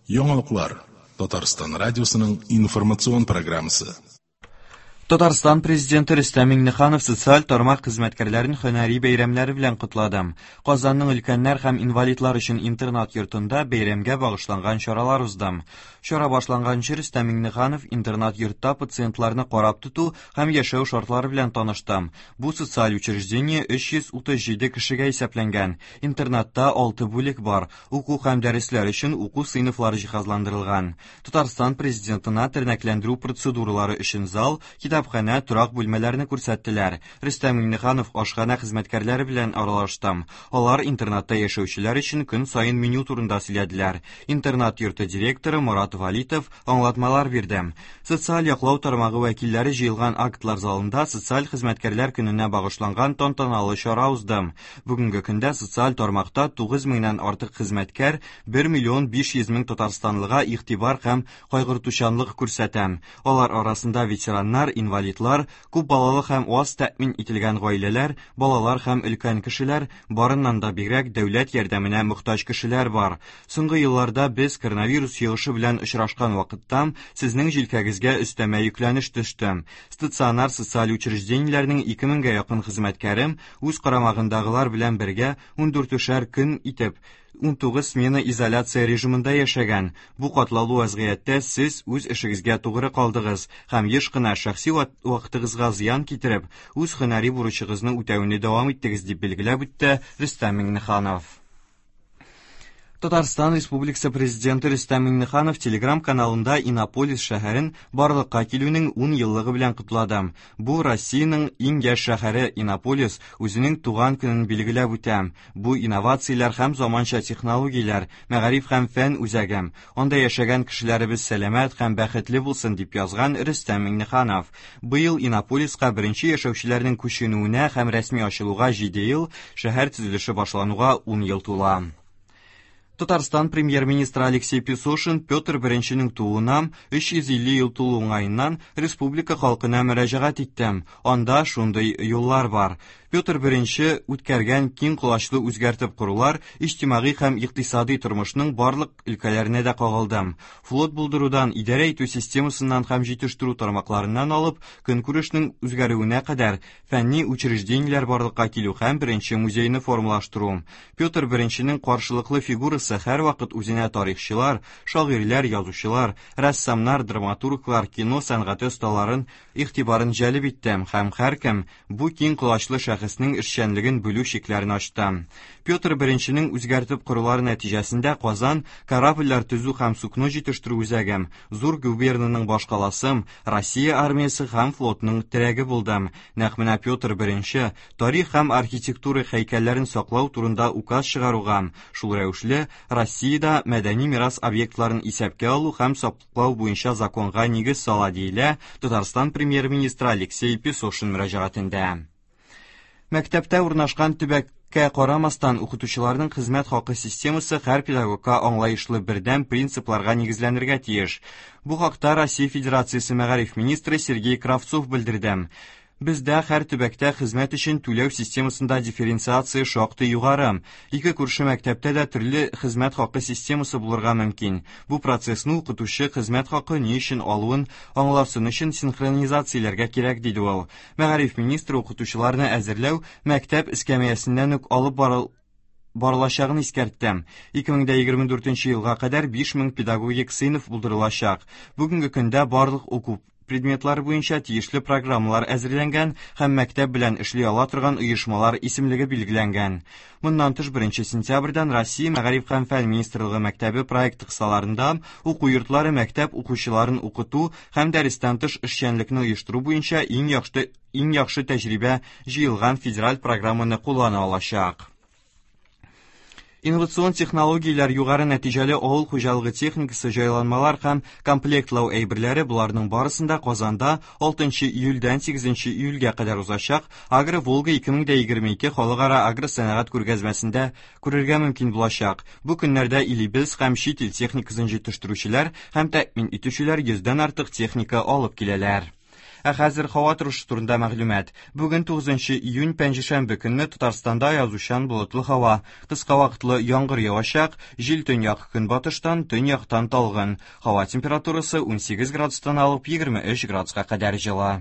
Яңалыклар Татарстан радиосының информацион программасы. Татарстан Президенты Рөстәм Миңнеханов социаль тармак хезмәткәрләрен һөнәри бәйрәмнәре белән котлады. Казанның өлкәннәр һәм инвалидлар өчен интернат йортында бәйрәмгә багышланган чаралар узды. Чара башланганчы Рөстәм Миңнеханов интернат йортта пациентларны карап тоту һәм яшәү шартлары белән танышты. Бу социаль учреждение 337 кешегә исәпләнгән. Интернатта 6 бүлек бар. Уку һәм дәресләр өчен уку сыйныфлары җиһазландырылган. Татарстан Президентына тернәкләндерү процедуралары өчен зал, китапханә, торак бүлмәләрне күрсәттеләр. Рөстәм Миңнеханов ашханә хезмәткәрләре белән аралашты. Алар интернатта яшәүчеләр өчен көн саен меню турында сөйләделәр. Интернат йорты директоры Морат Валитов аңлатмалар бирде. Социаль яклау тармагы вәкилләре җыелган актлар залында социаль хезмәткәрләр көненә багышланган тантаналы чара узды. Бүгенге көндә социаль тармакта 9 меңнән артык хезмәткәр 1 миллион 500 мең татарстанлыга игътибар һәм кайгыртучанлык күрсәтә. Алар арасында ветераннар, инвалидлар, күп балалы һәм аз тәэмин ителгән гаиләләр, балалар һәм өлкән кешеләр, барыннан да бигрәк дәүләт ярдәменә мохтаҗ кешеләр бар. Соңгы елларда без коронавирус йогышы белән очрашкан вакытта сезнең җилкәгезгә өстәмә йөкләнеш төште. Стационар социаль учреждениеләрнең 2000гә якын хезмәткәре үз карамагындагылар белән бергә 14шәр көн итеп 19 смена изоляция режимында яшәгән. Бу катлаулы вазгыятьтә сез үз эшегезгә тугры калдыгыз һәм еш кына шәхси вакытыгызга зыян китереп, үз һөнәри бурычыгызны үтәүне дәвам иттегез, дип билгеләп үтте Рөстәм Миңнеханов. Татарстан Республикасы Президенты Рөстәм Миңнеханов Телеграм-каналында Иннополис шәһәрен барлыкка килүнең 10 еллыгы белән котлады. Бу Россиянең иң яшь шәһәре Иннополис үзенең туган көнен билгеләп үтә. Бу инновацияләр һәм заманча технологияләр, мәгариф һәм фән үзәге. Анда яшәгән кешеләребез сәламәт һәм бәхетле булсын, дип язган Рөстәм Миңнеханов. Быел Иннополиска беренче яшәүчеләрнең күченүенә һәм рәсми ачылуга 7 ел, шәһәр төзелеше башлануга 10 ел тула. Татарстан премьер-министры Алексей Песошин Петр I тууына 350 ел тулу уңаеннан республика халкына мөрәҗәгать итте. Анда шундый юллар бар. Петр I үткәргән киң колачлы үзгәртеп корулар иҗтимагый һәм икътисади тормышның барлык өлкәләренә дә кагылды. Флот булдырудан, идарә итү системасыннан һәм җитештерү тармакларыннан алып, көнкүрешнең үзгәрүенә кадәр фәнни учреждениеләр барлыкка килү һәм беренче музейны формалаштыру. Петр I-нең каршылыклы фигурасы һәрвакыт үзенә тарихчылар, шагыйрьләр, язучылар, рәссамнар, драматурглар, кино сәнгате осталарын игътибарын җәлеп итте һәм һәркем бу киң колачлы шәхеснең эшчәнлеген бүлү чикләрен ачты. Петр I-нең үзгәртеп корулары нәтиҗәсендә Казан корабльләр төзү һәм сукно җитештерү үзәге, зур губернаның башкаласы, Россия армиясе һәм флотының терәге булды. Нәкъ менә Петр I тарих һәм архитектура һәйкәлләрен саклау турында указ чыгаруга, шул рәвешле Россиядә мәдәни мирас объектларын исәпкә алу һәм саклау буенча законга нигез сала, диелә Татарстан премьер-министры Алексей Песошин мөрәҗәгатендә. Мәктәптә урнашкан төбәккә карамастан, укытучыларның хезмәт хакы системасы һәр педагогка аңлаешлы бердәм принципларга нигезләнергә тиеш. Бу хакта Россия Федерациясе мәгариф министры Сергей Кравцов белдерде. Бездә һәр төбәктә хезмәт өчен түләү системасында дифференциация шактый югары. Ике күрше мәктәптә дә төрле хезмәт хакы системасы булырга мөмкин. Бу процессны укытучы хезмәт хакы ни өчен алуын аңласын өчен синхронизацияләргә кирәк, диде ул. Мәгариф министры укытучыларны әзерләү мәктәп эскәмиясеннән үк алып барылачагын искәртте. 2024 елга кадәр 5000 педагогик сыйныф булдырылачак. Бүгенге көндә барлык уку предметлары буенча тиешле программалар әзерләнгән һәм мәктәп белән эшли ала торган оешмалар исемлеге билгеләнгән. Моннан тыш 1 сентябрьдән Россия Мәгариф һәм фән министрлыгы мәктәбе проекты кысаларында уку йортлары мәктәп укучыларын укыту һәм дәрестән тыш эшчәнлекне оештыру буенча иң яхшы тәҗрибә җыелган федераль программаны куллана алачак. Инновацион технологияләр, югары нәтиҗәле авыл хуҗалыгы техникасы, җайланмалар һәм комплектлау әйберләре боларның барысын да Казанда 6 июльдән 8 июльгә кадәр узачак Агро Волга 2022 халыкара агросәнәгать күргәзмәсендә күрергә мөмкин булачак. Бу көннәрдә илебез һәм чит ил техникасын җитештерүчеләр һәм тәэмин итүчеләр 100дән артык техника алып киләләр. Ә хәзер һава торышы турында мәгълүмат. Бүген 9 июнь пәнҗешәмбе көнне Татарстанда язучан болытлы һава. Кыска вакытлы яңгыр явачак, җил төньяк көнбатыштан, төньяктан талгын. Һава температурасы 18 градустан алып 23 градуска кадәр җылы.